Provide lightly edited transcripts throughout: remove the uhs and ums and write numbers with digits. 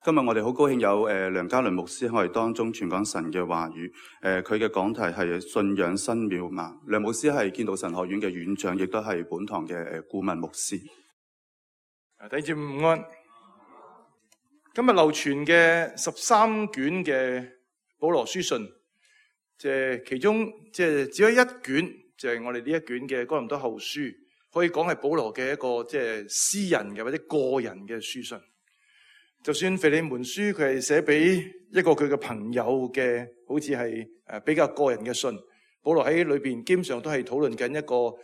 今日我哋好高興有梁家麟牧師喺我哋當中傳講神嘅話語。佢嘅講題係信仰新渺茫。梁牧師係建道神學院嘅院長，亦都係本堂嘅顧問牧師。弟兄姊妹午安。今日流傳嘅13卷嘅保羅書信，其中只有一卷，就係我哋呢一卷嘅哥林多後書，可以講係保羅嘅一個私人嘅或者個人嘅書信。就算腓利門書佢係寫俾一個佢嘅朋友嘅，好似係比較個人嘅信，保羅喺裏邊基本上都係討論緊一個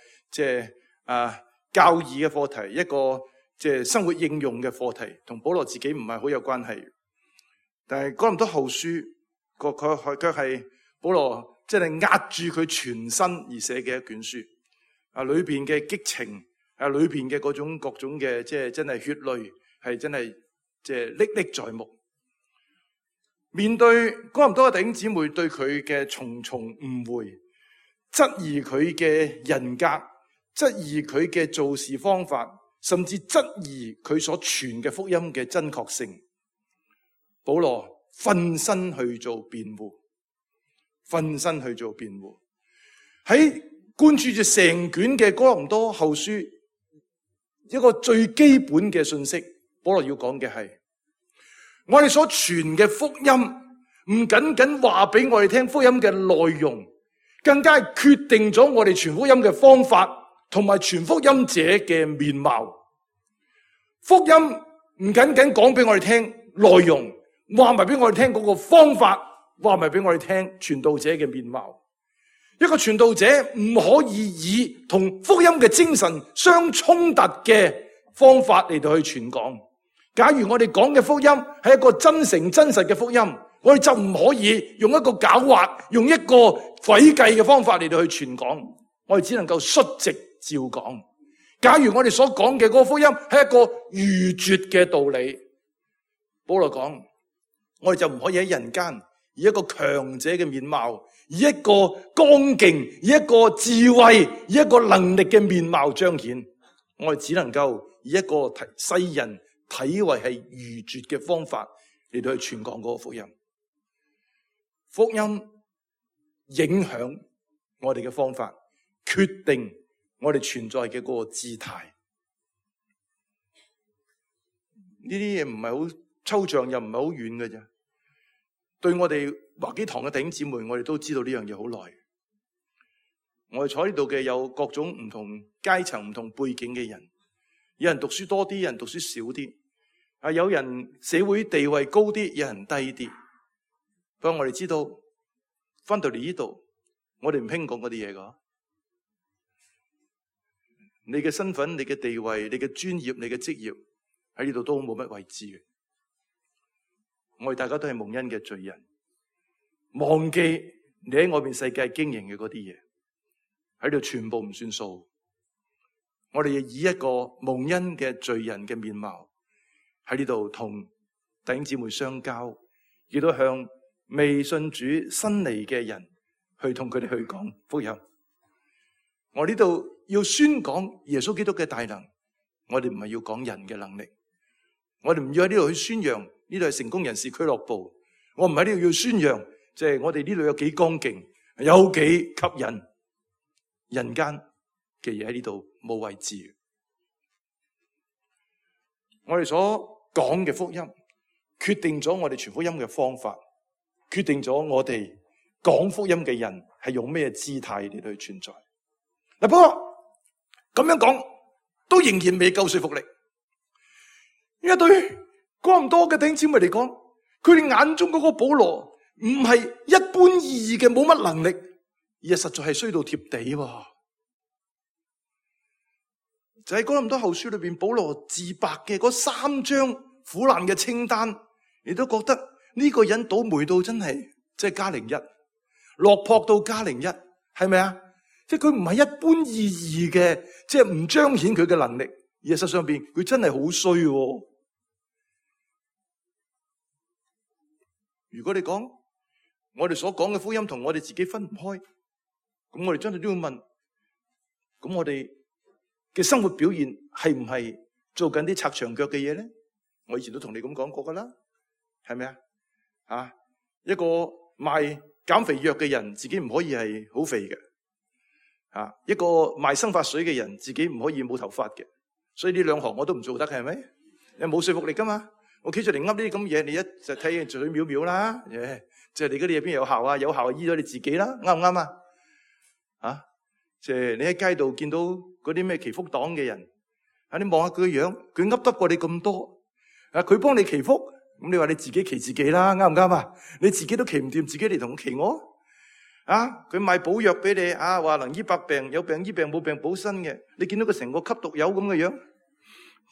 教義嘅課題，一個生活應用嘅課題，同保羅自己唔係好有關係。但係哥林多後書佢卻係保羅壓住佢全身而寫嘅一卷書。裏邊嘅激情，裏邊嘅嗰種各種嘅真係血淚，係真係歷歷在目。面對哥林多嘅弟兄姊妹對佢嘅重重誤會，質疑佢嘅人格，質疑佢嘅做事方法，甚至質疑佢所傳嘅福音嘅真確性，保羅奮身去做辯護，喺貫注住成卷嘅哥林多後書，一個最基本嘅信息，保羅要講嘅係，我哋所傳嘅福音唔僅僅話俾我哋聽福音嘅內容，更加係決定咗我哋傳福音嘅方法同埋傳福音者嘅面貌。福音唔僅僅講俾我哋聽內容，話埋俾我哋聽嗰個方法，話埋俾我哋聽傳道者嘅面貌。一個傳道者唔可以以同福音嘅精神相衝突嘅方法嚟到去傳講。假如我哋講嘅福音係一個真誠真實嘅福音，我哋就唔可以用一個狡猾、用一個詭計嘅方法嚟到去傳講，我哋只能夠率直照講。假如我哋所講嘅嗰個福音係一個愚拙嘅道理，保羅講，我哋就唔可以喺人間以一個強者嘅面貌，以一個剛勁，以一個智慧，以一個能力嘅面貌彰顯。我哋只能夠以一個世人睇為係愚拙嘅方法嚟到去傳講嗰個福音。福音影響我哋嘅方法，決定我哋存在嘅嗰個姿態。呢啲嘢唔係好抽象，又唔係好遠嘅啫。對我哋華基堂嘅弟兄姊妹，我哋都知道呢樣嘢好耐。我哋坐呢度嘅有各種唔同階層、唔同背景嘅人，有人讀書多啲，有人讀書少啲，有人社會地位高啲，有人低啲。不過我哋知道，翻到嚟呢度，我哋唔興講嗰啲嘢噶。你嘅身份、你嘅地位、你嘅專業、你嘅職業喺呢度都冇乜位置嘅。我哋大家都係蒙恩嘅罪人，忘記你喺外面世界經營嘅嗰啲嘢，喺度全部唔算數。我哋要以一個蒙恩嘅罪人嘅面貌喺呢度同弟兄姊妹相交，亦都向未信主新嚟嘅人去同佢哋去講福音。我呢度要宣講耶穌基督嘅大能，我哋唔係要講人嘅能力，我哋唔要喺呢度去宣揚呢度係成功人士俱樂部，我唔喺呢度要宣揚我哋呢度有幾剛勁，有幾吸引。人間嘅嘢喺呢度冇位置。我哋所講嘅福音決定咗我哋傳福音嘅方法，決定咗我哋講福音嘅人係用咩姿態嚟到去存在。不過咁樣講都仍然未夠說服力，因為對哥林多嘅弟兄姊妹嚟講，佢哋眼中嗰個保羅唔係一般意義嘅冇乜能力，而係實在係衰到貼地。就喺哥林多後書裏邊，保羅自白嘅嗰3張苦難嘅清單，你都覺得呢個人倒霉到真係加01，落魄到加01，係咪啊？佢唔係一般意義嘅，唔彰顯佢嘅能力，而係實上邊佢真係好衰。如果你講我哋所講嘅福音同我哋自己分唔開，咁我哋真係都要問，咁我哋嘅生活表現係唔係做緊啲拆牆腳嘅嘢咧？我以前都同你咁講過噶啦。係咪啊？一個賣減肥藥嘅人，自己唔可以係好肥嘅。一個賣生髮水嘅人，自己唔可以冇頭髮嘅。所以呢兩行我都唔做得，係咪？你冇說服力噶嘛？我企出嚟噏呢啲咁嘢，你一就睇嘴藐藐啦。即係你嗰啲嘢邊有效啊？有效醫咗你自己啦，啱唔啱啊？即係你喺街度見到嗰啲咩祈福黨嘅人，你望下佢嘅樣，佢噏得過你咁多。佢幫你祈福，咁你話你自己祈自己啦，啱唔啱啊？你自己都祈唔掂，自己嚟同我祈我。佢賣補藥俾你，話能醫百病，有病醫病，冇病補身嘅。你見到佢成個吸毒友咁嘅樣，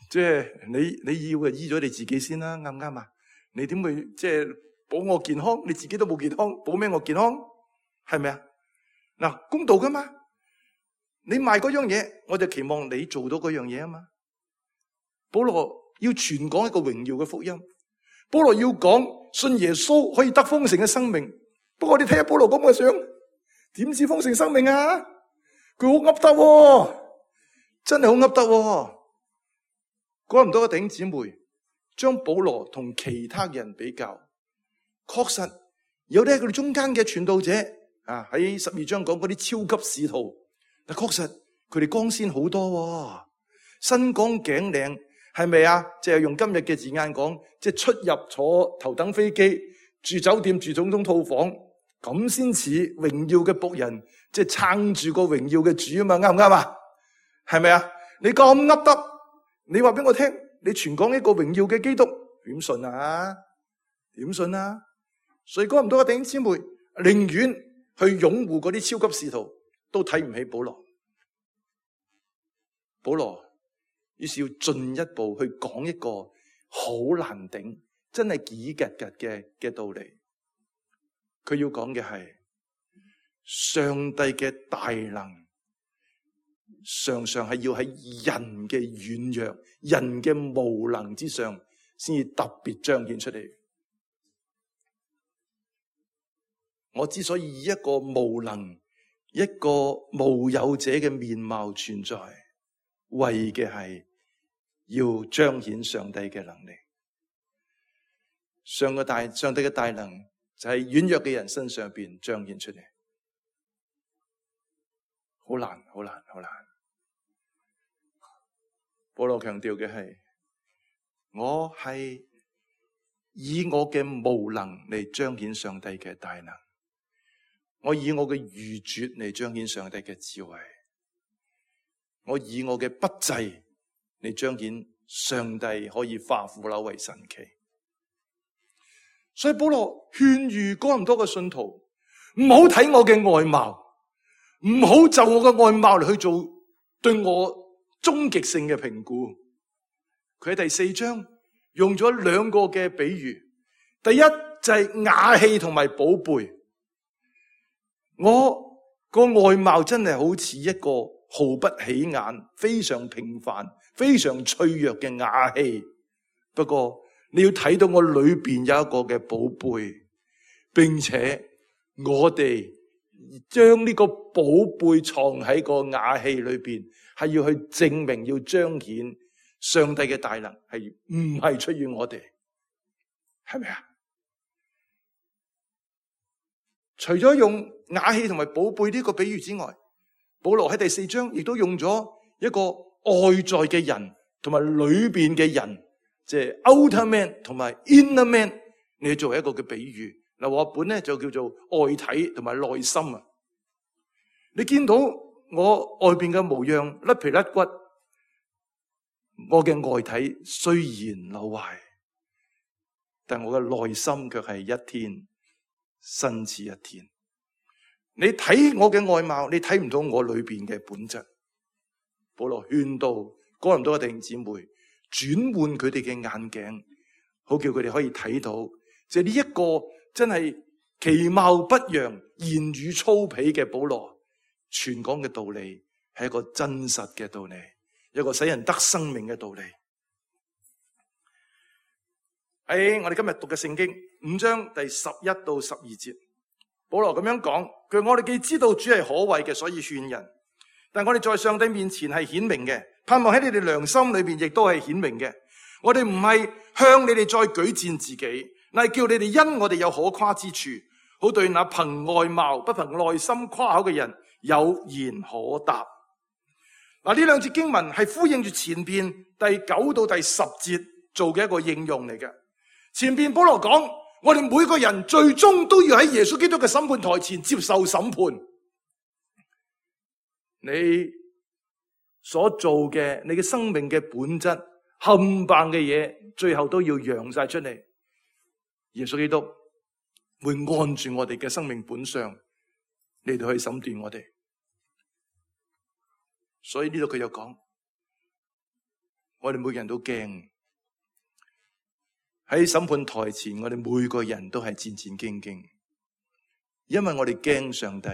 即係你要嘅醫咗你自己先啦，啱唔啱啊？你點會即係保我健康？你自己都冇健康，保咩我健康？係咪啊？嗱，公道噶嘛？你賣嗰樣嘢，我就期望你做到嗰樣嘢啊嘛。保羅要傳講一個榮耀嘅福音，保羅要講信耶穌可以得豐盛嘅生命。不過你睇下保羅咁嘅相，點知豐盛生命啊？佢好噏得，真係好噏得。哥林多嘅弟兄姊妹將保羅同其他人比較，確實有啲係佢哋中間嘅傳道者喺12章講嗰啲超級使徒，但確實佢哋光鮮好多，身光頸靚，係咪啊？即係用今日嘅字眼講，即係出入坐頭等飛機，住酒店，住總統套房，咁先似榮耀嘅僕人，即係撐住個榮耀嘅主啊嘛，啱唔啱啊？係咪啊？你咁噏得，你話俾我聽，你傳講一個榮耀嘅基督，點信啊？點信啊？所以哥林多嘅弟兄姊妹寧願去擁護嗰啲超級使徒，都睇唔起保羅。保羅於是要進一步去講一個好難頂，真係幾格格嘅道理。佢要講嘅係上帝嘅大能，常常係要喺人嘅軟弱、人嘅無能之上，先至特別彰顯出嚟。我之所以以一個無能、一個無有者嘅面貌存在，為嘅係要彰顯上帝嘅能力。上帝嘅大能就喺軟弱嘅人身上邊彰顯出嚟，好難，好難，好難。保羅強調嘅係，我係以我嘅無能嚟彰顯上帝嘅大能，我以我嘅愚拙嚟彰顯上帝嘅智慧，我以我嘅不濟嚟彰顯上帝可以化腐朽為神奇。所以保羅勸喻哥林多嘅信徒，唔好睇我嘅外貌，唔好就我嘅外貌嚟去做對我終極性嘅評估。佢喺第4章用咗2個嘅比喻，第一就係瓦器同埋寶貝。我個外貌真係好似一個毫不起眼、非常平凡、非常脆弱嘅瓦器，不過你要睇到我裏邊有一個嘅寶貝，並且我哋將呢個寶貝藏喺個瓦器裏邊，係要去證明、要彰顯上帝嘅大能，係唔係出於我哋？係咪啊？除咗用瓦器同埋寶貝呢個比喻之外，保羅喺第4章亦都用咗一個外在嘅人同埋裏邊嘅人，即係 outer man 同埋 inner man， 你作為一個嘅比喻。嗱，我本咧就叫做外體同埋內心啊。你見到我外邊嘅模樣甩皮甩骨，我嘅外體雖然朽壞，但我嘅內心卻係一天新似一天。你睇我嘅外貌，你睇唔到我裏邊嘅本質。保羅勸導哥林多嘅弟兄姊妹轉換佢哋嘅眼鏡，好叫佢哋可以睇到，即係呢一個真係其貌不揚、言語粗鄙嘅保羅傳講嘅道理，係一個真實嘅道理，一個使人得生命嘅道理。喺我哋今日讀嘅聖經5章第11到12節，保羅咁樣講，佢話我哋既知道主係可畏嘅，所以勸人，但我哋在上帝面前係顯明嘅，盼望喺你哋良心裏邊亦都係顯明嘅。我哋唔係向你哋再舉薦自己，乃係叫你哋因我哋有可誇之處，好對那憑外貌不憑內心誇口嘅人有言可答。嗱，呢兩節經文係呼應住前邊第9到第10節做嘅一個應用嚟嘅。前邊保羅講，我哋每個人最終都要喺耶穌基督嘅審判台前接受審判。你所做嘅，你嘅生命嘅本質，冚唪唥嘅嘢，最後都要揚晒出嚟。耶穌基督會按住我哋嘅生命本相嚟到去審斷我哋。所以呢度佢又講，我哋每個人都驚喺審判台前，我哋每個人都係戰戰兢兢，因為我哋驚上帝。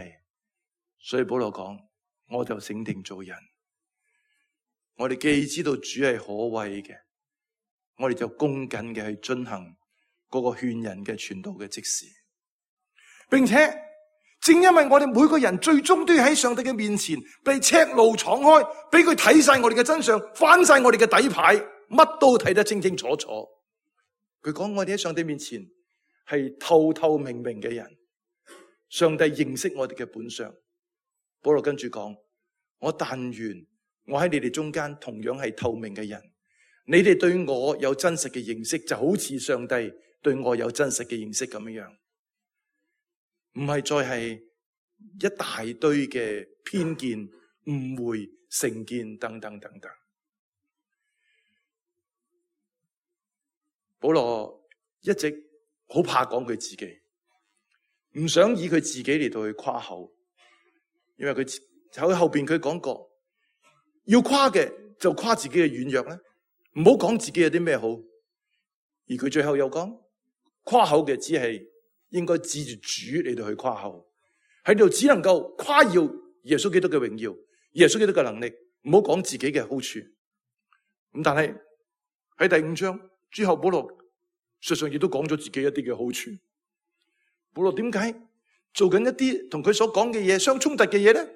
所以保羅講，我就醒定做人。我哋既知道主係可畏嘅，我哋就恭謹嘅去遵行嗰個勸人嘅傳道嘅職事，並且正因為我哋每個人最終都要喺上帝嘅面前被赤露敞開，俾佢睇晒我哋嘅真相，翻晒我哋嘅底牌，乜都睇得清清楚楚。佢講我哋喺上帝面前係透透明明嘅人，上帝認識我哋嘅本相。保羅跟住講，我但願我喺你哋中間同樣係透明嘅人，你哋對我有真實嘅認識，就好似上帝對我有真實嘅認識咁樣，唔係再係一大堆嘅偏見、誤會、成見等等等等。保羅一直好怕講佢自己，唔想以佢自己嚟到去誇口，因為佢喺後邊佢講過，要誇嘅就誇自己嘅軟弱咧，唔好講自己有啲咩好。而佢最後又講，誇口嘅只係應該指住主嚟到去誇口，喺度只能夠誇耀耶穌基督嘅榮耀，耶穌基督嘅能力，唔好講自己嘅好處。咁但係喺第5章之後，保羅實際上亦都講咗自己一啲嘅好處。保羅點解做緊一啲同佢所講嘅嘢相衝突嘅嘢咧？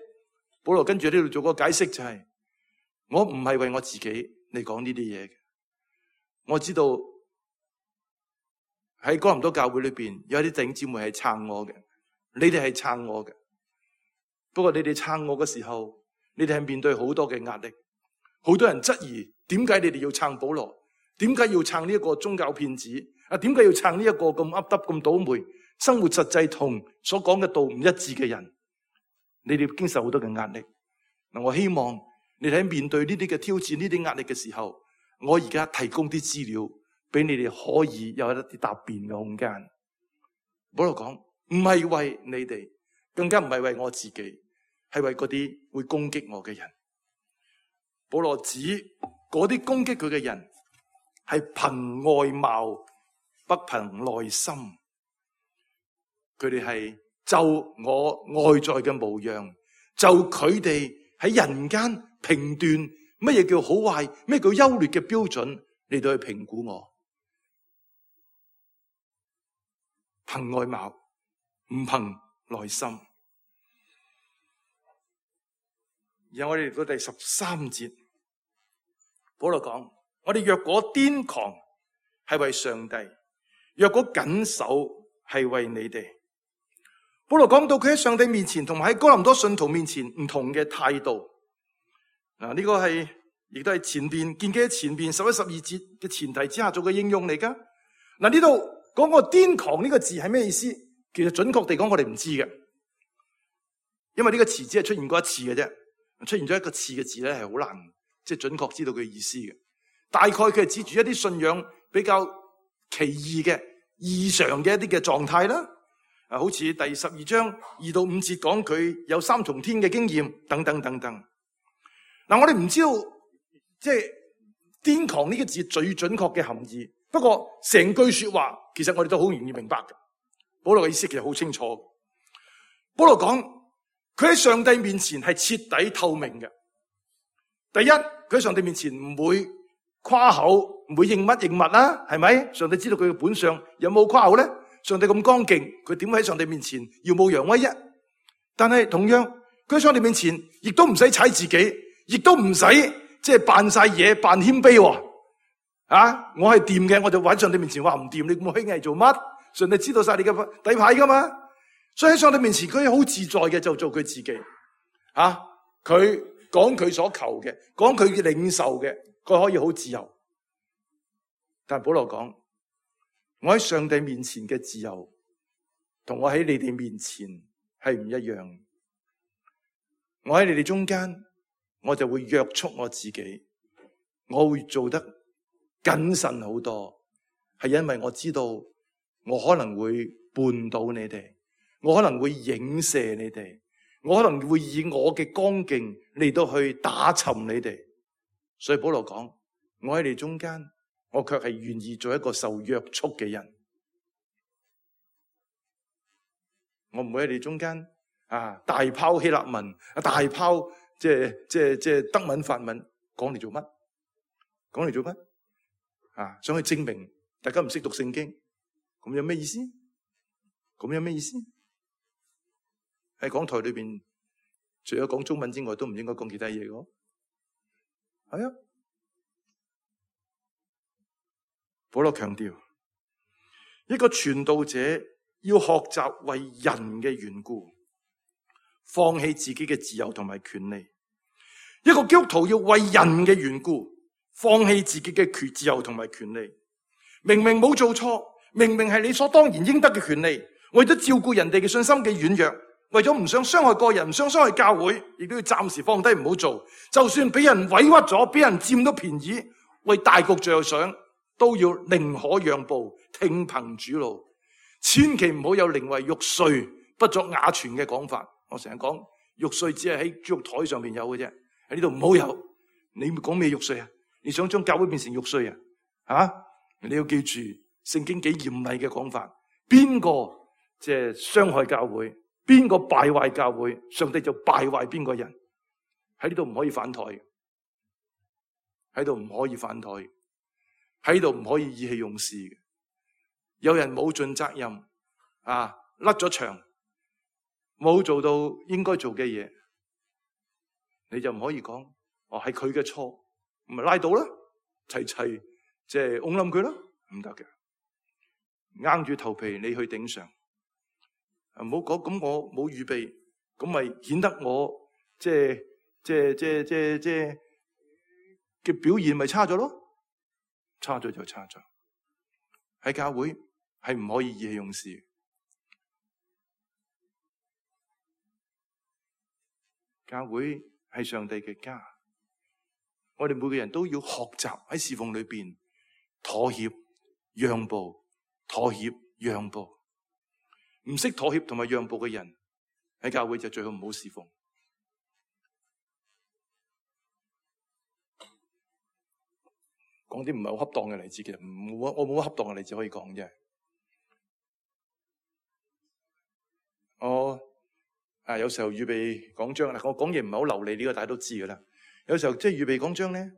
保羅跟住呢度做個解釋，就係我唔係為我自己嚟講呢啲嘢嘅。我知道喺哥林多教會裏邊有一啲弟兄姊妹係撐我嘅，你哋係撐我嘅。不過你哋撐我嘅時候，你哋係面對好多嘅壓力，好多人質疑點解你哋要撐保羅，點解要撐呢一個宗教騙子啊？點解要撐呢一個咁噏得咁倒霉，生活實際同所講嘅道唔一致嘅人？你哋經受好多嘅壓力。嗱，我希望你哋喺面對呢啲嘅挑戰、呢啲壓力嘅時候，我而家提供啲資料俾你哋，可以有一啲答辯嘅空間。保羅講，唔係為你哋，更加唔係為我自己，係為嗰啲會攻擊我嘅人。保羅指嗰啲攻擊佢嘅人係憑外貌不憑內心，佢哋係就我外在嘅模樣，就佢哋喺人間評斷乜嘢叫好壞，咩叫優劣嘅標準嚟到去評估我。憑外貌，唔憑內心。然後我哋嚟到第13節，保羅講：我哋若果癲狂，係為上帝；若果謹守，係為你哋。保羅講到佢喺上帝面前同埋喺哥林多信徒面前唔同嘅態度。嗱，呢個係亦都係前邊建基喺前邊11、12節嘅前提之下做嘅應用嚟噶。嗱，呢度講個癲狂呢個字係咩意思？其實準確地講，我哋唔知嘅，因為呢個詞只係出現過一次嘅啫。出現咗一個次嘅字咧，係好難即係準確知道佢意思嘅。大概佢係指住一啲信仰比較奇異嘅異常嘅一啲嘅狀態啦。好似第12章2到5節講佢有3重天嘅經驗等等等等。嗱，我哋唔知道即係癲狂呢個字最準確嘅含義。不過成句說話其實我哋都好容易明白嘅。保羅嘅意思其實好清楚。保羅講佢喺上帝面前係徹底透明嘅。第一，佢喺上帝面前唔會誇口，唔會認乜認物啦，係咪？上帝知道佢嘅本相，有冇誇口咧？上帝咁剛勁，佢點喺上帝面前耀武揚威啫？但係同樣，佢喺上帝面前亦都唔使踩自己，亦都唔使即係扮晒嘢，扮謙卑。我係掂嘅，我就喺上帝面前話唔掂，你咁虛偽做乜？上帝知道晒你嘅底牌噶嘛，所以喺上帝面前佢好自在嘅就做佢自己。佢講佢所求嘅，講佢領受嘅，佢可以好自由。但係保羅講，我喺上帝面前嘅自由，同我喺你哋面前係唔一樣。我喺你哋中間，我就會約束我自己，我會做得謹慎好多，係因為我知道我可能會絆倒你哋，我可能會影射你哋，我可能會以我嘅光勁嚟到去打沉你哋。所以保羅講，我喺你中間，我卻係願意做一個受約束嘅人。我唔會喺你中間大拋希臘文，大拋即係德文法文，講嚟做乜？講嚟做乜？想去證明大家唔識讀聖經，咁有咩意思？咁有咩意思？喺講台裏邊，除咗講中文之外，都唔應該講其他嘢嘅。係啊，保羅強調，一個傳道者要學習為人嘅緣故，放棄自己嘅自由同埋權利。一個基督徒要為人嘅緣故，放棄自己嘅自由同埋權利。明明冇做錯，明明係理所當然應得嘅權利，為咗照顧人哋嘅信心嘅軟弱，為咗唔想傷害個人，唔想傷害教會，亦都要暫時放低唔好做。就算俾人委屈咗，俾人佔到便宜，為大局着想，都要寧可讓步，聽憑主怒。千祈唔好有寧為玉碎不作瓦全嘅講法。我成日講玉碎只係喺豬肉台上面有嘅啫，喺呢度唔好有。你講咩玉碎啊？你想將教會變成玉碎啊？你要記住聖經幾嚴厲嘅講法。邊個即係傷害教會，邊個敗壞教會，上帝就敗壞邊個人。喺呢度唔可以反台，喺度唔可以反台，喺度唔可以意氣用事嘅。有人冇盡責任甩咗場，冇做到應該做嘅嘢，你就唔可以講係佢嘅錯，咪拉倒啦，齊即係擁冧佢啦，唔得嘅，硬住頭皮你去頂上，唔好講咁我冇預備，咁咪顯得我即係嘅表現咪差咗咯，差咗就差咗。喺教會係唔可以意氣用事。教會係上帝嘅家，我哋每個人都要學習喺侍奉裏邊妥協、讓步、妥協、讓步。唔識妥協同埋讓步嘅人喺教會就最好唔好侍奉。講啲唔係好恰當嘅例子，其實我冇乜恰當嘅例子可以講啫。我有時候預備講章，我講嘢唔係好流利，呢個大家都知噶啦。有時候即係預備講章咧，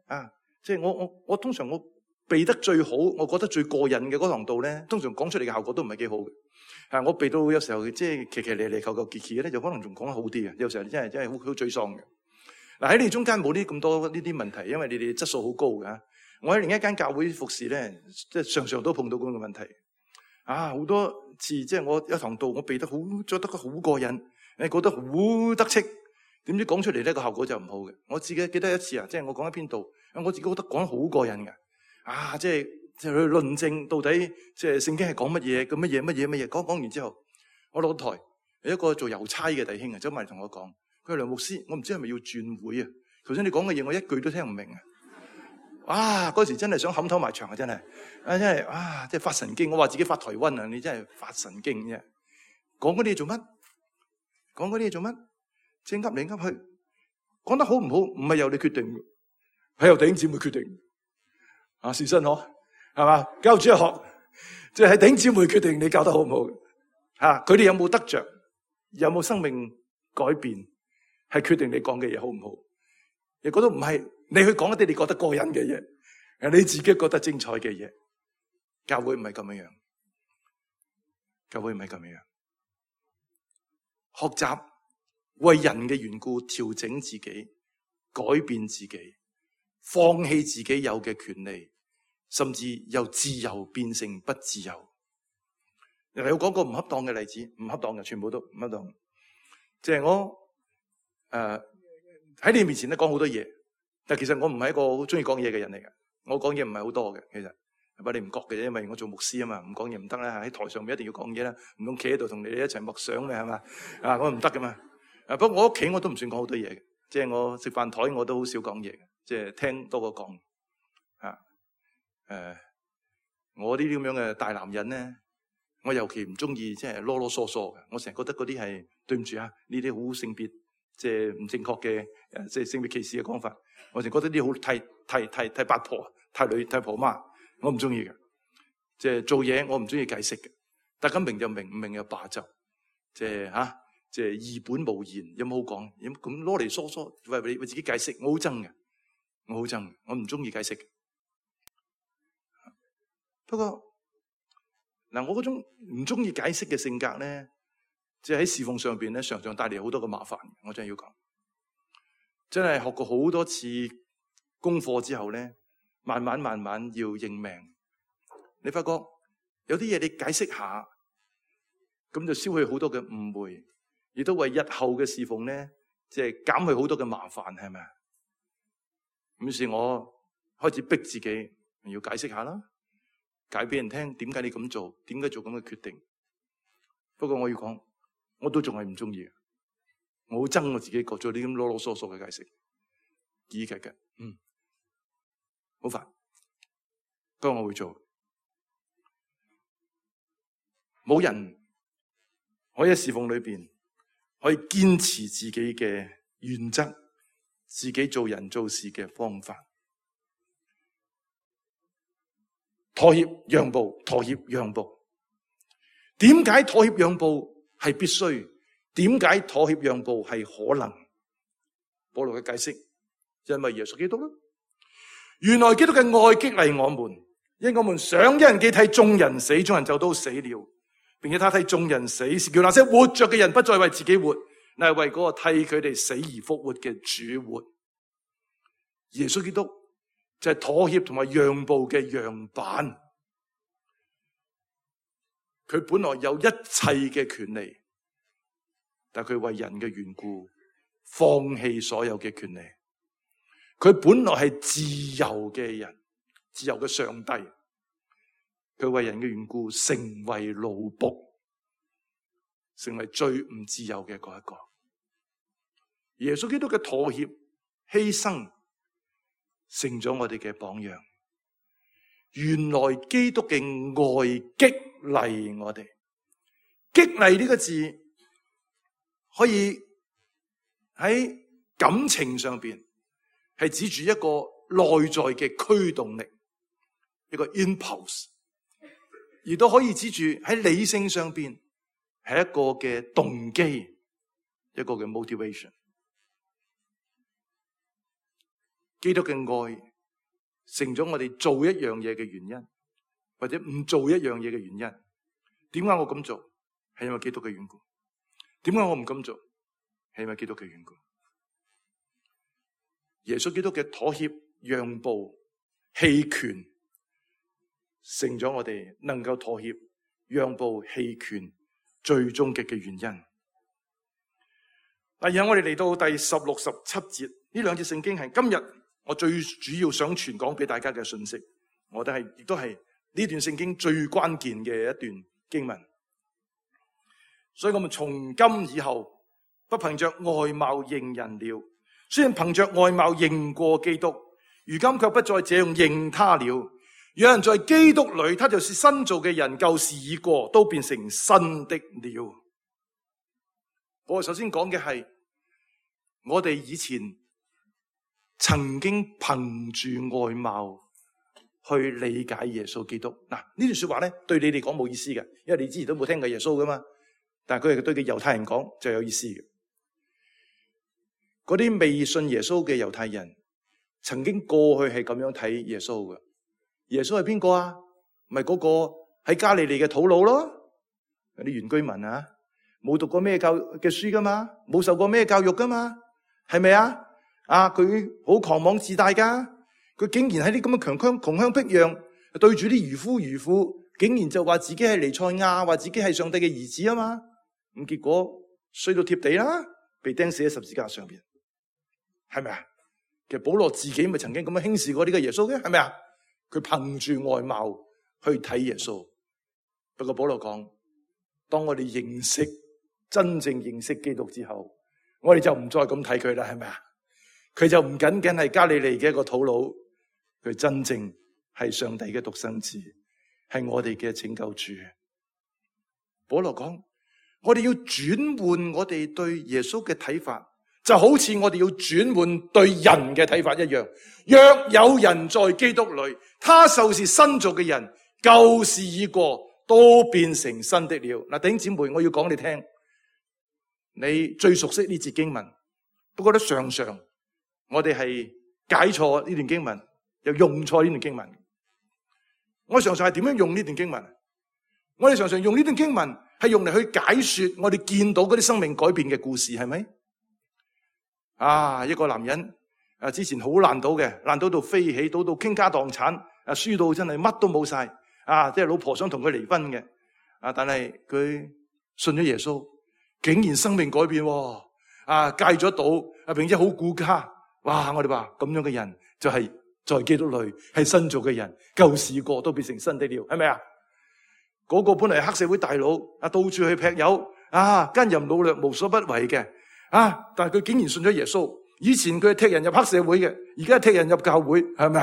即係我通常我背得最好，我覺得最過癮嘅嗰堂道咧，通常講出嚟嘅效果都唔係幾好嘅。我背到有時候即係奇嚟求求結咧，就可能仲講得好啲嘅。有時候真係好沮喪嘅。喺你哋中間冇呢咁多呢啲問題，因為你哋質素好高嘅。我喺另一間教會服侍咧，即係常常都碰到咁嘅問題。好多次即係我一堂道我背得好，做得好過癮，覺得好得戚，點知講出嚟咧個效果就唔好嘅。我自己記得一次即係我講一篇道，我自己覺得講得好過癮嘅。即係去論證到底即係聖經係講乜嘢，咁乜嘢，講完之後，我落台有一個做郵差嘅弟兄走埋嚟同我講，佢話梁牧師，我唔知係咪要轉會啊？頭先你講嘅嘢我一句都聽唔明嗰時真係想冚頭埋牆啊！真係即係發神經。我話自己發台灣啊，你真係發神經啫！講嗰啲嘢做乜？講嗰啲嘢做乜？即係噏嚟噏去，講得好唔好？唔係由你決定，係由弟兄姊妹決定。事實係嘛？教主日學，即係喺弟兄姊妹決定你教得好唔好。佢哋有冇得着，有冇生命改變，係決定你講嘅嘢好唔好。亦覺得唔係你去講一啲你覺得過癮嘅嘢，你自己覺得精彩嘅嘢。教會唔係咁樣，教會唔係咁樣。學習為人嘅緣故調整自己，改變自己，放棄自己有嘅權利，甚至由自由變成不自由。有講過唔恰當嘅例子，唔恰當嘅，全部都唔恰當。即係我喺你面前咧講好多嘢，但其實我唔係一個好中意講嘢嘅人嚟嘅。我講嘢唔係好多嘅，其實不過你唔覺嘅啫，因為我做牧師啊嘛，唔講嘢唔得啦。喺台上面一定要講嘢啦，唔通企喺度同你哋一齊默想咩係嘛？我唔得噶嘛。不過我屋企我都唔算講好多嘢嘅，即係我食飯台我都好少講嘢嘅，即係聽多過講。我呢啲咁樣嘅大男人咧，我尤其唔中意即係囉囉嗦嗦嘅。我成日覺得嗰啲係對唔住啊，呢啲好性別即係唔正確嘅即係性別歧視嘅講法。我成日覺得呢啲好太八婆、太女、太婆媽，我唔中意嘅。即係做嘢我唔中意解釋嘅，大家明就明，唔明就罷就。即係即係義本無言，有冇好講？咁囉嚟嗦嗦，為自己解釋，我好憎嘅，我好憎，我唔中意解釋嘅。不過嗱，我嗰種唔中意解釋嘅性格咧，即係喺侍奉上邊咧，常常帶嚟好多嘅麻煩。我真係要講，真係學過好多次功課之後咧，慢慢要認命。你發覺有啲嘢你解釋下，咁就消去好多嘅誤會，亦都為日後嘅侍奉咧，即係減去好多嘅麻煩，係咪啊？於是我開始逼自己要解釋下啦。解俾人聽點解你咁做，點解做咁嘅決定。不過我要講，我都仲係唔中意。我好憎我自己做啲咁囉囉嗦嗦嘅解釋，議劇嘅，好煩。不過我會做。冇人可以喺侍奉裏邊可以堅持自己嘅原則，自己做人做事嘅方法。妥協讓步，妥協讓步。點解妥協讓步係必須？點解妥協讓步係可能？保羅嘅解釋，因為耶穌基督啦。原來基督嘅愛激勵我們，因我們想一人既替眾人死，眾人就都死了，並且他替眾人死，是叫那些活着嘅人不再為自己活，乃係為嗰個替佢哋死而復活嘅主活。耶穌基督就係妥協同埋讓步嘅樣板，佢本來有一切嘅權利，但佢為人嘅緣故放棄所有嘅權利。佢本來係自由嘅人，自由嘅上帝，佢為人嘅緣故成為奴僕，成為最唔自由嘅嗰一個。耶穌基督嘅妥協犧牲成咗我哋嘅榜樣。原來基督嘅愛激勵我哋。激勵呢個字可以喺感情上邊係指住一個內在嘅驅動力，一個 impulse， 而都可以指住喺理性上邊係一個嘅動機，一個嘅 motivation。基督嘅愛成咗我哋做一樣嘢嘅原因，或者唔做一樣嘢嘅原因。點解我咁做？係因為基督嘅緣故。點解我唔咁做？係因為基督嘅緣故。耶穌基督嘅妥協、讓步、棄權，成咗我哋能夠妥協、讓步、棄權最終極嘅原因。第二，我哋嚟到第16、17節，呢兩節聖經係今日我最主要想傳講俾大家嘅信息，我覺得亦都係呢段聖經最關鍵嘅一段經文。所以我們從今以後不憑着外貌認人了，雖然憑着外貌認過基督，如今卻不再這樣認他了。有人在基督裏，他就是新造嘅人，舊事已過，都變成新的了。我首先講嘅係我哋以前曾經憑住外貌去理解耶穌基督。嗱，呢段說話咧，對你哋講冇意思嘅，因為你之前都冇聽過耶穌噶嘛。但係佢係對嘅猶太人講就有意思嘅。嗰啲未信耶穌嘅猶太人，曾經過去係咁樣睇耶穌嘅。耶穌係邊個啊？咪嗰個喺加利利嘅土佬咯，啲原居民啊，冇讀過咩教嘅書噶嘛，冇受過咩教育噶嘛，係咪啊？佢好狂妄自大噶，佢竟然喺啲咁嘅窮鄉僻壤對住啲漁夫漁婦，竟然就話自己係彌賽亞，話自己係上帝嘅兒子啊嘛。咁結果衰到貼地啦，被釘死喺十字架上邊，係咪啊？其實保羅自己咪曾經咁樣輕視過呢個耶穌嘅，係咪啊？佢憑住外貌去睇耶穌。不過保羅講，當我哋真正認識基督之後，我哋就唔再咁睇佢啦，係咪啊？佢就唔僅僅係加利利嘅一個土佬，佢真正係上帝嘅獨生子，係我哋嘅拯救主。保羅講，我哋要轉換我哋對耶穌嘅睇法，就好似我哋要轉換對人嘅睇法一樣。若有人在基督裏，他就是新造嘅人，舊事已過，都變成新的了。嗱，弟兄姊妹，我要講你聽，你最熟悉呢節經文，不過咧常常我哋係解錯呢段經文，又用錯呢段經文。我常常係點樣用呢段經文？我哋常常用呢段經文係用嚟去解說我哋見到嗰啲生命改變嘅故事，係咪？一個男人之前好爛賭嘅，爛賭到飛起，賭到傾家蕩產，輸到真係乜都冇晒，即係老婆想同佢離婚嘅，但係佢信咗耶穌，竟然生命改變，戒咗賭，並且好顧家。哇！我哋話咁樣嘅人就係在基督裏係新造嘅人，舊事過都變成新的了，係咪啊？嗰個本嚟係黑社會大佬，到處去劈友，奸淫擄掠無所不為嘅，但係佢竟然信咗耶穌。以前佢係踢人入黑社會嘅，而家踢人入教會，係咪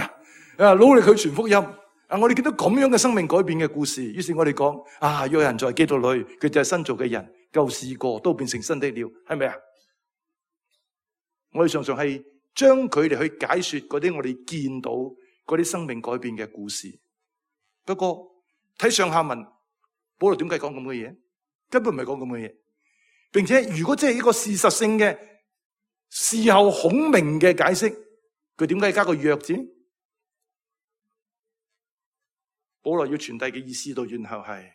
啊？努力去傳福音。我哋見到咁樣嘅生命改變嘅故事，於是我哋講，若有人在基督裏，佢就係新造嘅人，舊事過都變成新的了，係咪啊？我哋常常係將佢哋去解說嗰啲我哋見到嗰啲生命改變嘅故事。不過睇上下文，保羅點解講咁嘅嘢？根本唔係講咁嘅嘢。並且如果真係一個事實性嘅事後孔明嘅解釋，佢點解加個若字？保羅要傳遞嘅意思到然後係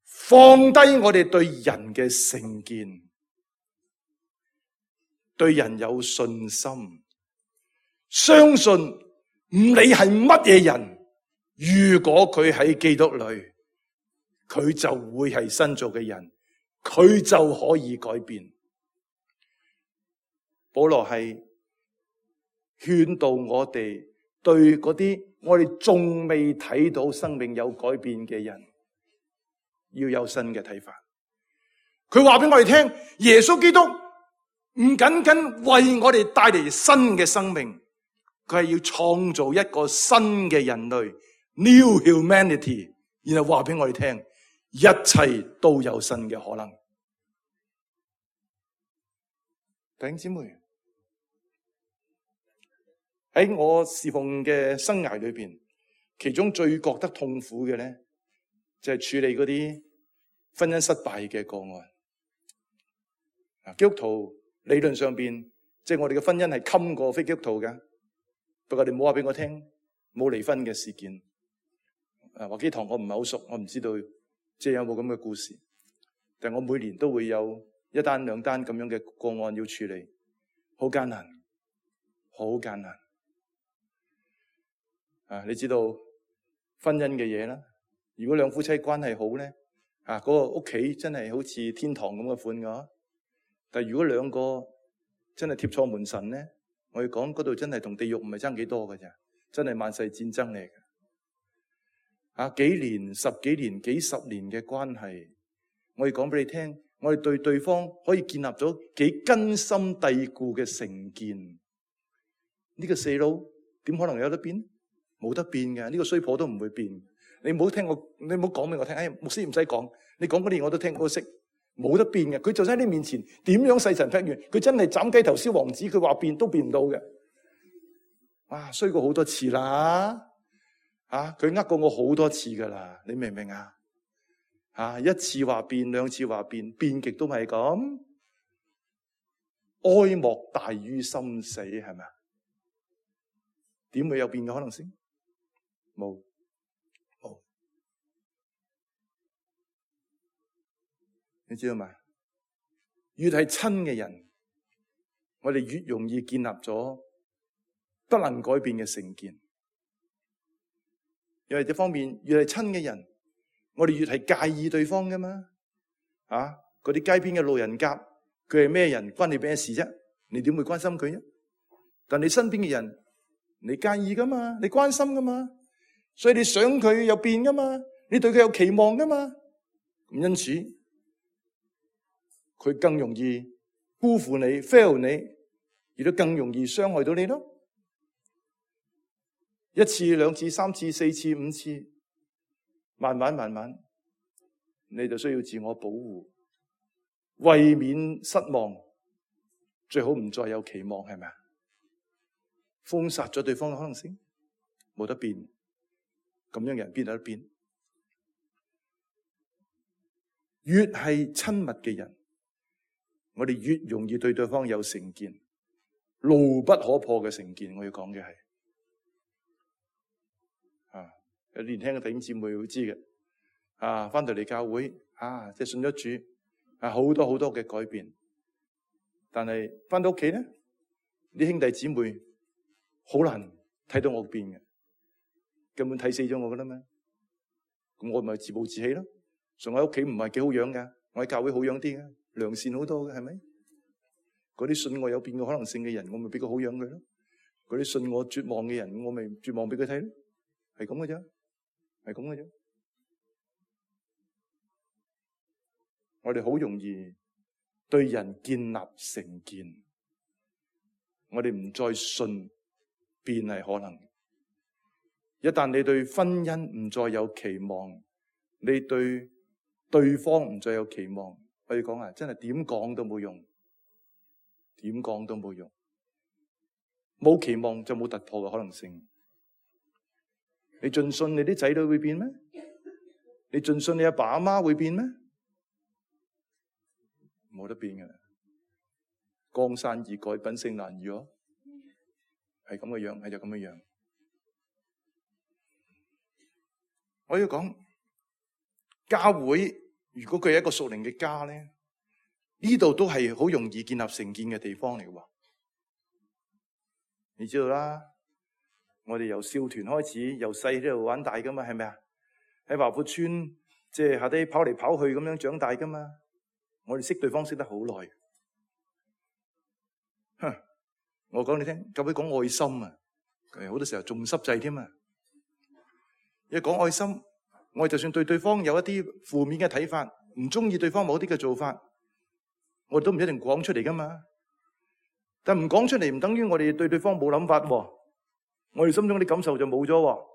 放低我哋對人嘅成見，對人有信心，相信唔理係乜嘢人，如果佢喺基督裏，佢就會係新造嘅人，佢就可以改變。保羅係勸導我哋對嗰啲我哋仲未睇到生命有改變嘅人，要有新嘅睇法。佢話俾我哋聽，耶穌基督唔僅僅為我哋帶嚟新嘅生命，佢係要創造一個新嘅人類 （New Humanity），然後話俾我哋聽，一切都有新嘅可能。弟兄姊妹，喺我侍奉嘅生涯裏邊，其中最覺得痛苦嘅咧，就係處理嗰啲婚姻失敗嘅個案。基督徒理論上邊，即係我哋嘅婚姻係冚過非基督徒嘅，不過你唔好話俾我聽冇離婚嘅事件。華基堂我唔係好熟，我唔知道即係有冇咁嘅故事。但係我每年都會有一單兩單咁樣嘅個案要處理，好艱難，好艱難。你知道婚姻嘅嘢啦，如果兩夫妻關係好咧，嗰個屋企真係好似天堂咁嘅款㗎。但係如果兩個真係貼錯門神咧，我要講嗰度真係同地獄唔係爭幾多㗎咋，真係萬世戰爭嚟嘅。幾年、十幾年、幾十年嘅關係，我要講俾你聽，我哋對對方可以建立咗幾根深蒂固嘅成見。呢個細佬點可能有得變？冇得變嘅，呢個衰婆都唔會變。你唔好聽我，你唔好講俾我聽。牧師唔使講，你講嗰啲我都聽，我都識。冇得變嘅，佢就喺你面前點樣細神劈完，佢真係斬雞頭燒王子，佢話變都變唔到嘅。衰過好多次啦，佢呃過我好多次噶啦，你明唔明啊？一次話變，兩次話變，變極都係咁。哀莫大於心死，係咪啊？點會有變嘅可能性？冇。你知道嘛？越係親嘅人，我哋越容易建立咗不能改變嘅成見。又係一方面越係親嘅人，我哋越係介意對方噶嘛。嗰啲街邊嘅路人甲，佢係咩人，關你咩事啫？你點會關心佢啫？但你身邊嘅人，你介意噶嘛？你關心噶嘛？所以你想佢有變噶嘛？你對佢有期望噶嘛？咁因此，佢更容易辜負你 fail 你，亦都更容易傷害到你咯。一次、兩次、三次、四次、五次，慢慢，你就需要自我保護，為免失望，最好唔再有期望，係咪啊？封殺咗對方嘅可能性，冇得變，咁樣嘅人邊有得變？越係親密嘅人，我哋越容易對對方有成見，牢不可破嘅成見。我要講嘅係，有年輕嘅弟兄姊妹會知嘅，翻到嚟教會，即係信咗主，好多好多嘅改變，但係翻到屋企咧，啲兄弟姊妹好難睇到我變嘅，根本睇死咗我噶啦咩？咁我咪自暴自棄咯。仲喺屋企唔係幾好樣噶，我喺教會好樣啲嘅，良善好多嘅，係咪？嗰啲信我有變嘅可能性嘅人，我咪俾個好樣佢咯。嗰啲信我絕望嘅人，我咪絕望俾佢睇咯。係咁嘅啫，係咁嘅啫。我哋好容易對人建立成見，我哋唔再信變係可能。一旦你對婚姻唔再有期望，你對對方唔再有期望，我要講真係點講都冇用，點講都冇用。冇期望就冇突破嘅可能性。你盡信你啲仔女會變咩？你盡信你阿爸阿媽會變咩？冇得變嘅。江山易改，品性難移咯。係咁嘅樣，係就咁嘅樣。我要講教會，如果佢係一個屬靈嘅家咧，呢度都係好容易建立成見嘅地方嚟嘅。你知道啦，我哋由少團開始，由細喺度玩大噶嘛，係咪啊？喺華富村即係下低跑嚟跑去咁樣長大噶嘛。我哋識對方識得好耐。我講你聽，教會講愛心啊，好多時候仲濕滯添啊。一講愛心，我哋就算對對方有一啲負面嘅睇法，唔中意對方某啲嘅做法，我哋都唔一定講出嚟噶嘛。但唔講出嚟唔等於我哋對對方冇諗法喎。我哋心中啲感受就冇咗喎。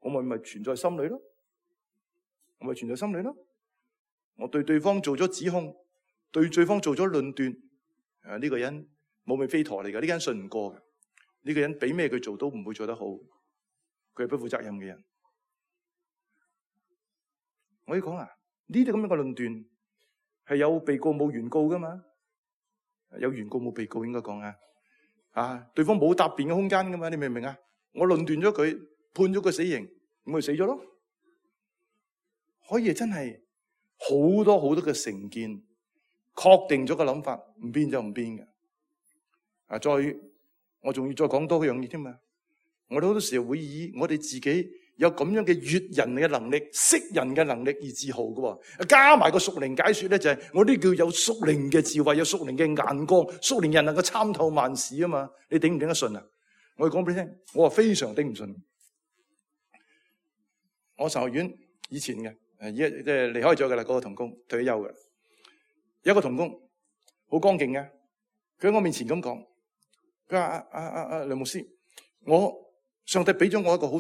我咪存在心裏咯。我咪存在心裏咯。我對對方做咗指控，對對方做咗論斷。呢個人冇尾飛陀嚟噶，呢個人信唔過嘅。呢個人俾咩佢做都唔會做得好，佢係不負責任嘅人。我要講呢啲咁樣嘅論斷係有被告冇原告噶嘛？有原告冇被告應該講對方冇答辯嘅空間噶嘛？你明唔明啊？我論斷咗佢，判咗佢死刑，咁咪死咗咯？可以真係好多好多嘅成見，確定咗個諗法，唔變就唔變嘅。我仲要再講多一樣嘢添嘛。我哋好多時候會以我哋自己有咁樣嘅閱人嘅能力、識人嘅能力而自豪嘅。加埋個屬靈解說咧，就係我啲叫有屬靈嘅智慧，有屬靈嘅眼光，屬靈人能夠參透萬事啊嘛。你頂唔頂得順啊？我講俾你聽，我話非常頂唔順。我神學院以前嘅，即係離開咗嘅啦，嗰個同工退休嘅。有一個同工好剛勁嘅，佢喺我面前咁講，佢話梁牧師，上帝俾咗我一個好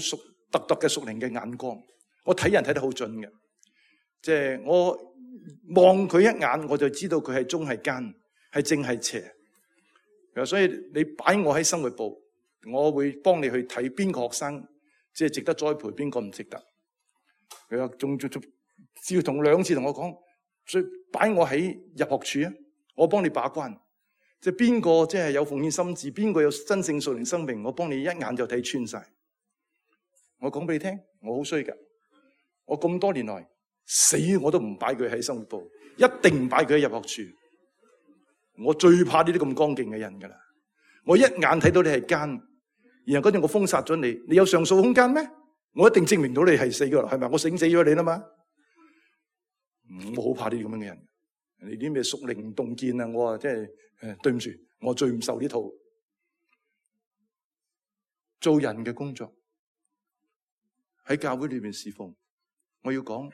特嘅屬靈嘅眼光，我睇人睇得好準嘅，即係我望佢一眼，我就知道佢係忠係奸，係正係邪。所以你擺我喺生活部，我會幫你去睇邊個學生即係值得栽培，邊個唔值得。佢話仲要同2次同我講，所以擺我喺入學處啊，我幫你把關，即係邊個即係有奉獻心志，邊個有真正屬靈生命，我幫你一眼就睇穿晒。我講俾你聽，我好衰噶，我咁多年來死我都唔擺佢喺生活部，一定唔擺佢喺入學處。我最怕呢啲咁剛勁嘅人噶啦，我一眼睇到你係奸，然後嗰陣我封殺咗你，你有上訴空間咩？我一定證明到你係死噶啦，係咪？我醒死咗你啦嘛。我好怕呢啲咁樣嘅人。你啲咩屬靈洞見啊？我話即係對唔住，我最唔受呢套做人嘅工作。喺教會裏邊侍奉，我要講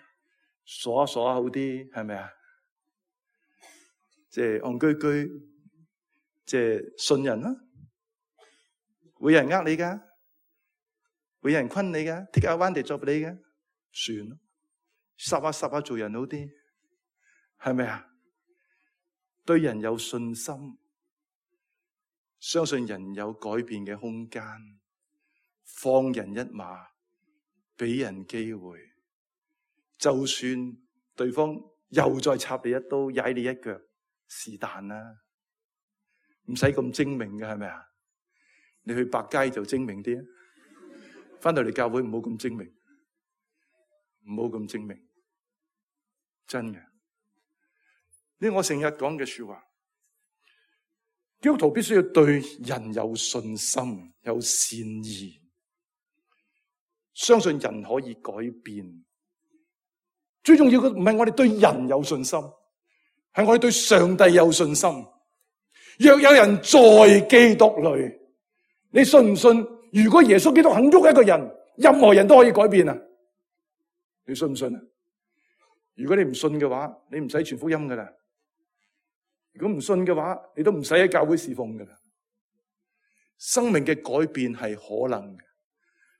傻下好啲，係咪啊？即係戇居居，即係信人啦。會有人呃你噶，會有人昆你噶，take advantage of你噶，算咯，霎下做人好啲，係咪啊？對人有信心，相信人有改變嘅空間，放人一馬，俾人機會，就算對方又再插你一刀，踩你一腳，是但啦，唔使咁精明嘅，係咪啊？你去百佳就精明啲啊，翻到嚟教會唔好咁精明，唔好咁精明，真嘅。呢我成日講嘅說話，基督徒必須要對人有信心，有善意，相信人可以改變。最重要嘅唔係我哋對人有信心，係我哋對上帝有信心。若有人在基督裏，你信唔信？如果耶穌基督肯喐一個人，任何人都可以改變啊！你信唔信啊？如果你唔信嘅話，你唔使傳福音噶啦。如果唔信嘅話，你都唔使喺教會侍奉噶啦。生命嘅改變係可能嘅，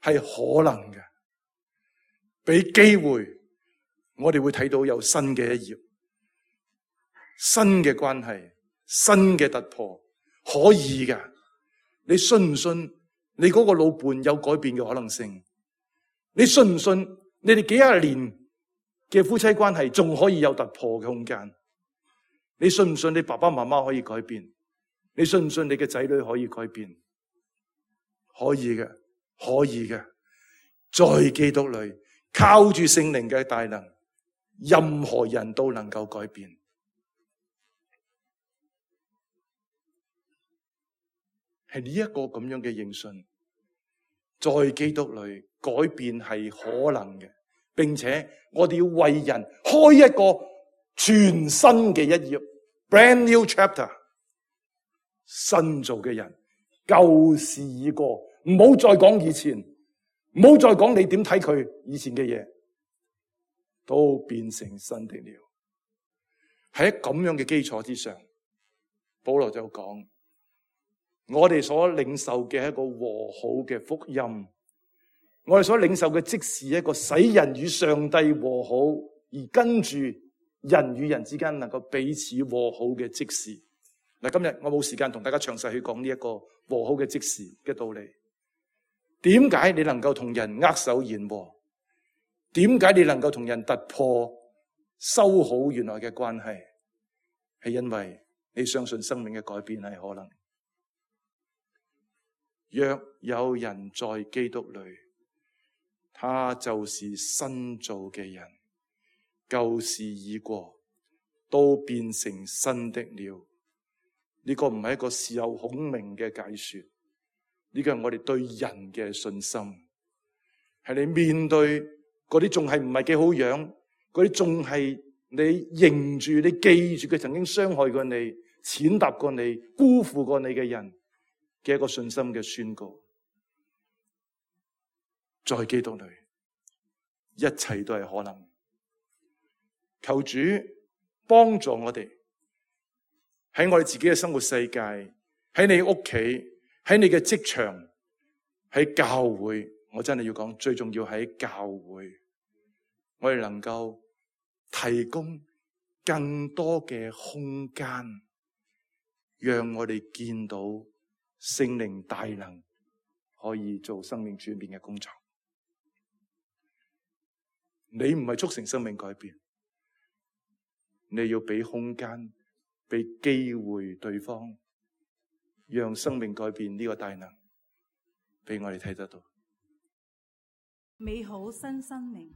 係可能嘅。俾機會，我哋會睇到有新嘅一頁，新嘅關係，新嘅突破，可以噶。你信唔信？你嗰個老伴有改變嘅可能性？你信唔信？你哋幾廿年嘅夫妻關係仲可以有突破嘅空間？你信唔信你爸爸媽媽可以改變？你信唔信你嘅仔女可以改變？可以嘅，可以嘅。在基督裏，靠住聖靈嘅大能，任何人都能夠改變。係呢一個咁樣嘅認信，在基督裏改變係可能嘅，並且我哋要為人開一個全新嘅一頁 ，brand new chapter， 新造嘅人，舊事已過，唔好再講以前，唔好再講你點睇佢以前嘅嘢，都變成新的了。喺咁樣嘅基礎之上，保羅就講。我哋所領受嘅係一個和好嘅福音，我哋所領受嘅即是一個使人與上帝和好，而跟住人與人之間能夠彼此和好嘅即時。嗱，今日我冇時間同大家詳細去講呢一個和好嘅即時嘅道理。點解你能夠同人握手言和？點解你能夠同人突破修好原來嘅關係？係因為你相信生命嘅改變係可能。若有人在基督裏，他就是新造嘅人，舊事已過，都變成新的了。呢個唔係一個事後孔明嘅解說，呢個係我哋對人嘅信心，係你面對嗰啲仲係唔係幾好樣，嗰啲仲係你認住、你記住佢曾經傷害過你、踐踏過你、辜負過你嘅人嘅一個信心嘅宣告。在基督裏，一切都係可能。求主幫助我哋喺我哋自己嘅生活世界，喺你屋企，喺你嘅職場，喺教會。我真係要講，最重要喺教會，我哋能夠提供更多嘅空間，讓我哋見到聖靈大能可以做生命轉變嘅工作。你唔係促成生命改變，你要俾空間，俾機會對方，讓生命改變呢個大能俾我哋睇得到。美好新生命。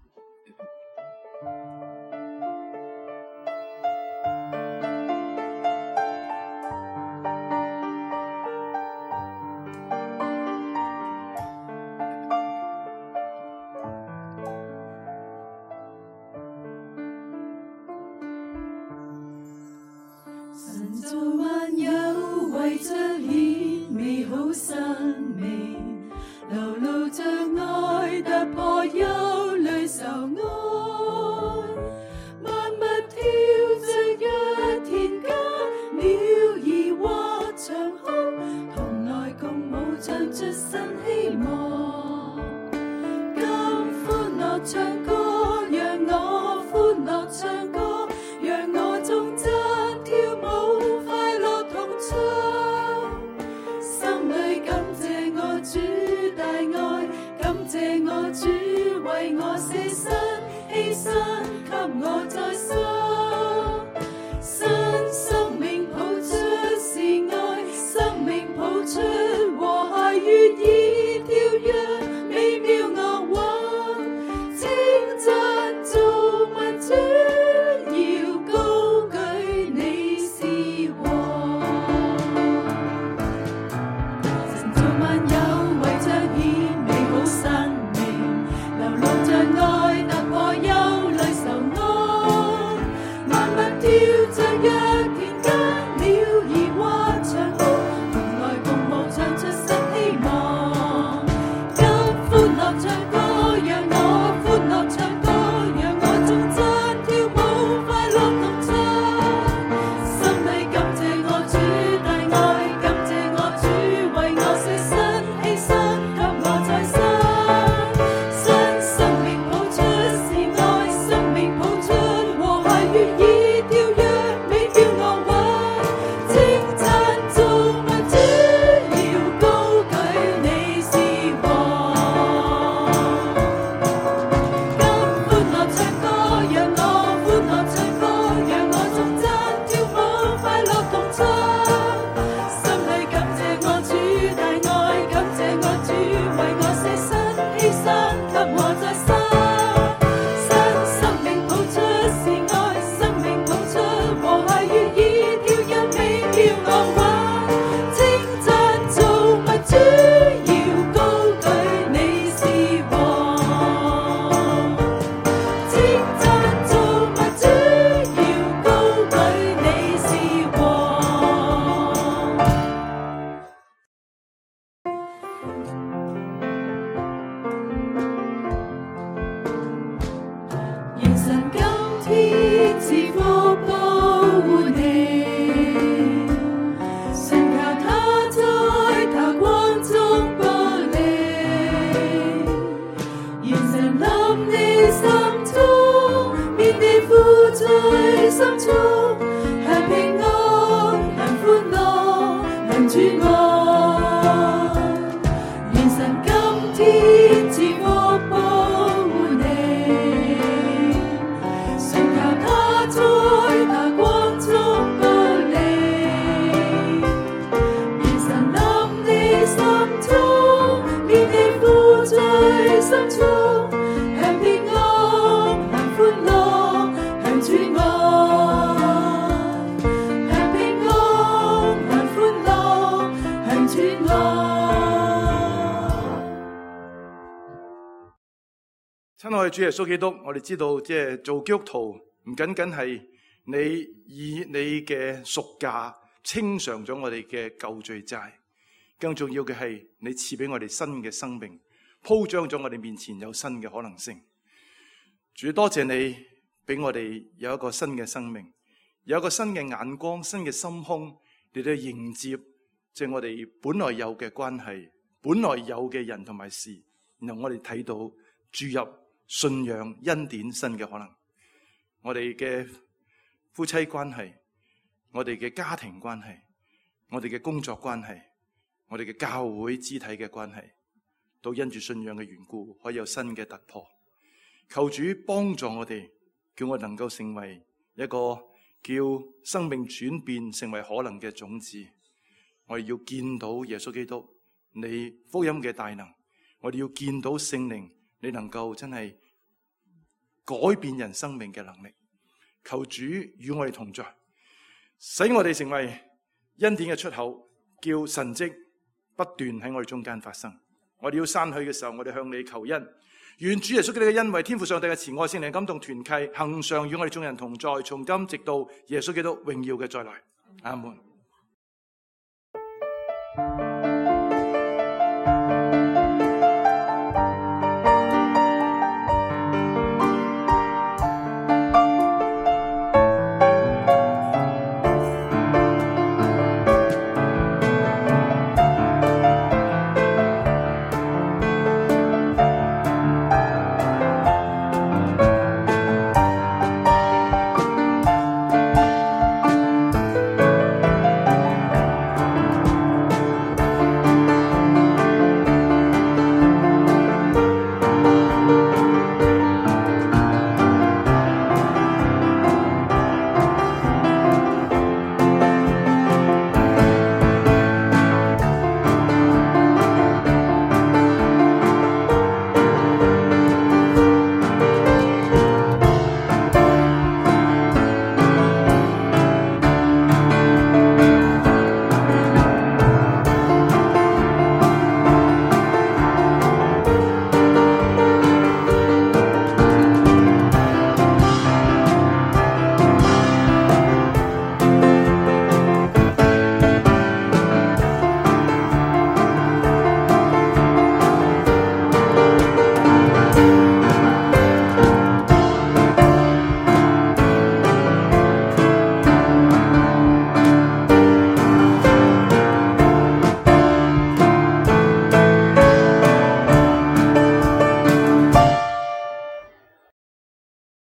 神造萬有，為彰顯美好生命，流露着愛，突破憂慮愁哀。萬物跳着若田間，鳥兒或長空，同來共舞唱出新希望。今歡樂唱歌，讓我歡樂唱歌，讓我頌讚跳舞，快樂同唱。心裏感謝我主大愛，感謝我主為我捨身犧牲，給我再生。新生命抱出是愛，生命抱出和諧悅意跳躍，美妙樂韻，稱讚造物主，要高舉你是王。神造萬有，為彰顯美好生命，流露着愛，突破憂慮愁哀。萬物跳着若田間，鳥兒或長空，同來共舞唱出新希望。今歡樂唱歌，讓我歡樂唱歌，讓我頌讚跳舞，快樂同唱。心裏感謝我主大愛，感謝我主為我捨身犧牲，給我再生。新生命抱出是愛，生命抱出和諧悅意跳躍，美妙樂韻，稱讚造物主，要高舉你是王。今歡樂唱歌，讓我歡樂唱歌，讓我頌讚跳舞，快樂同唱。心裏感謝我主大愛，感謝我主為我捨身犧牲，給我再生。新生命抱出是愛，生命抱出和諧悅意跳躍，美妙樂韻，稱讚造物主，要高舉你是王。稱讚造物主，要高舉你是王。願神今天賜福保護你，信靠他在他光中保你。願神臨你心中，免你負在心中，享平安，享歡樂，享主愛。願神今天賜福保護你，信靠他在他光中保你。願神臨你心中，免你負在心中，享平安，享歡樂，享主愛。享平安，享歡樂，享主愛。親愛嘅主耶穌基督，我哋知道即係做基督徒唔僅僅係你以你嘅贖價清償咗我哋嘅舊罪債，更重要嘅係你賜俾我哋新嘅生命，鋪張咗我哋面前有新嘅可能性。主，多謝你俾我哋有一個新嘅生命，有一個新嘅眼光、新嘅心胸嚟到迎接即係我哋本來有嘅關係、本來有嘅人同埋事，然後我哋睇到注入信仰恩典新嘅可能。我哋嘅夫妻關係，我哋嘅家庭關係，我哋嘅工作關係，我哋嘅教會肢體嘅關係，都因住信仰嘅緣故可以有新嘅突破。求主幫助我哋，叫我能夠成為一個叫生命轉變成為可能嘅種子。我哋要見到耶穌基督你福音嘅大能，我哋要見到聖靈你能夠真係改變人生命嘅能力。求主與我哋同在，使我哋成為恩典嘅出口，叫神蹟不斷喺我哋中間發生。我哋要散去嘅時候，我哋向你求恩。願主耶穌基督嘅恩惠、天父上帝嘅慈愛、聖靈感動團契，恆常與我哋眾人同在，從今直到耶穌基督榮耀嘅再來。阿門。